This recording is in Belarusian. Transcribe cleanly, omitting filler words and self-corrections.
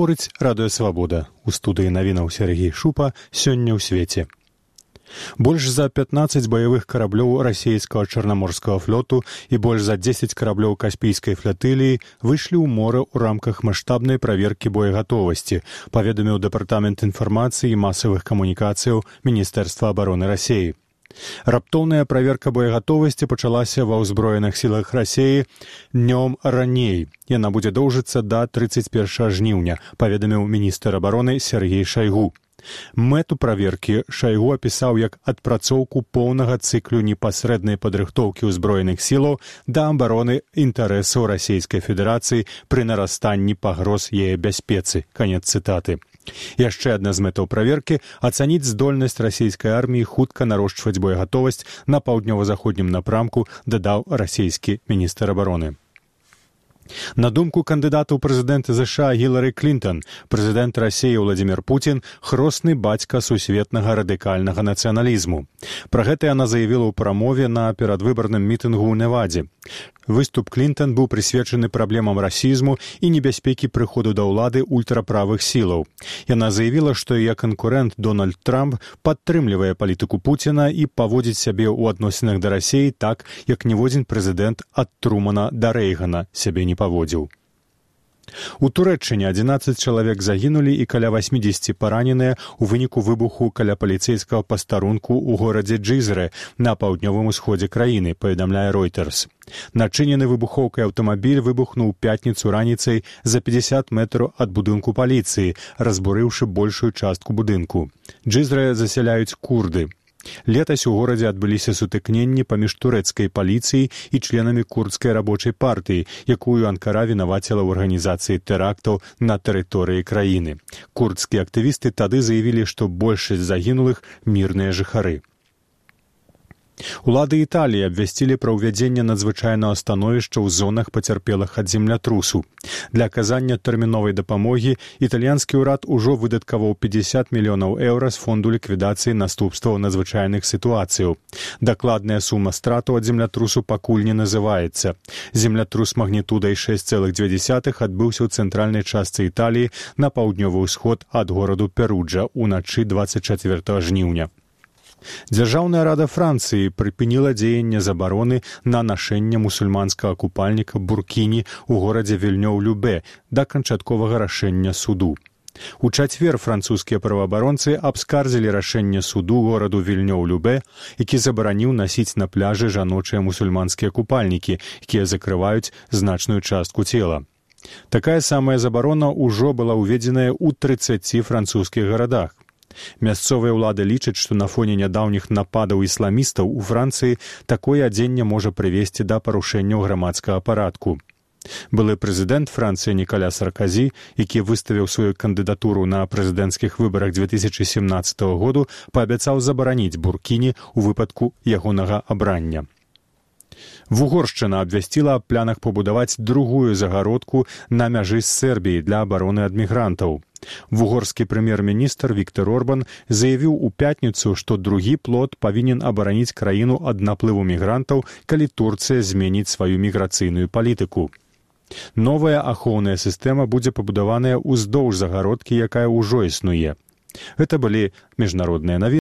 Гаворыць Радыё Свабода. У студыі навінаў Сергей Шупа сёння ў свеце. Больш за 15 баявых караблёў расійскага чарнаморскага флоту і больш за 10 караблёў каспійскай флатыліі выйшлі ў мора ў рамках маштабнай праверкі боегатовасці, паведаміў Дэпартамент інфармацыі і масавых камунікацыяў Міністэрства абароны Расіі. Раптоўная праверка боегатовасці пачалася ва ўзброеных сілах Расіі днём раней. Яна будзе доўжыцца да 31 жніўня, паведаміў міністр абароны Сергей Шайгу. Мэту праверкі Шайгу апісаў як адпрацоўку поўнага цыклю непасрэднай падрыхтоўкі ўзброеных сілаў да абароны інтарэсаў Расійскай Федэрацыі пры нарастанні пагроз яе бяспецы. Канец цытаты. Яшчэ адна з мэтаў праверкі – ацаніць здольнасць расійскай арміі хутка нарошчваць боегатовасць на паўднёва-заходнім напрамку, дадаў расійскі міністр абароны. На думку кандыдата ў прэзідэнты ЗША Гілары Клінтон, прэзідэнт Расіі Владзімір Пуцін – хросны бацька сусветнага радыкальнага нацыяналізму. Пра гэта яна заявіла ў прамове на перадвыбарным мітынгу ў Невадзе. Выступ Клінтон быў прысвечаны праблемам расізму і небяспекі прыходу да ўлады ультраправых сілаў. Яна заявіла, што яе канкурэнт Дональд Трамп падтрымлівае палітыку Пуціна і паводзіць сябе ў адносінах да Расіі так, як ніводзін прэзідэнт ад Трумана да Рэйгана сябе не паводзіў. У Турэччыне 11 чалавек загінулі і каля 80 параненыя ў выніку выбуху каля паліцэйскага пастарунку ў горадзе Джызрэ на паўднёвым усходзе краіны, паведамляе Reuters. Начынены выбухоўкай аўтамабіль выбухнуў у пятніцу раніцай за 50 метраў ад будынку паліцыі, разбурыўшы большую частку будынку. Джызрэ засяляюць курды. Летась у горадзе адбыліся сутыкненні паміж турэцкай паліцыяй і членамі курдскай рабочай партыі, якую Анкара вінаваціла ў арганізацыі тэрактаў на тэрыторыі краіны. Курдскія актывісты тады заявілі, што большасць загінулых мірныя жыхары. Улады Італіі абвясцілі пра ўвядзенне надзвычайнага становішча ў зонах пацярпелых ад землятрусу. Для аказання тэрміновай дапамогі італьянскі ўрад ужо выдаткаваў 50 мільёнаў еўра з фонду ліквідацыі наступстваў надзвычайных сітуацыяў. Дакладная сума стратаў ад землятрусу пакуль не называецца. Землятрус магнітудай 6,2 адбыўся ў цэнтральнай частцы Італіі на паўднёвы ўсход ад гораду Перуджа ўначы 24 жніўня. Дзяржаўная рада Францыі прыпыніла дзеянне забароны на нашэнне мусульманскага купальніка буркіні ў горадзе Вільнёў-Любэ да канчатковага рашэння суду. У чацвер французскія праваабаронцы абскардзілі рашэнне суду гораду Вільнёў-Любэ, які забараніў насіць на пляжы жаночыя мусульманскія купальнікі, якія закрываюць значную частку цела. Такая самая забарона ўжо была ўведзеная ў 30 французскіх гарадах. Мясцовыя ўлады лічаць, што на фоне нядаўніх нападаў ісламістаў у Францыі такое адзенне можа прывесці да парушэнняў грамадскага парадку. Былы прэзідэнт Францыі Нікаля Сарказі, які выставіў сваю кандыдатуру на прэзідэнцкіх выбарах 2017 году, паабяцаў забараніць буркіні ў выпадку ягонага абрання. Вугоршчына абвясціла аб планах пабудаваць другую загародку на мяжы з Сербіяй для абароны ад мігрантаў. Вугорскі прэм'ер-міністр Віктор Орбан заявіў у пятніцу, што другі плот павінен абараніць краіну ад наплыву мігрантаў, калі Турцыя зменіць сваю міграцыйную палітыку. Новая ахоўная сістэма будзе пабудаваная ўздоўж загародкі, якая ўжо існуе. Гэта былі міжнародныя навіны.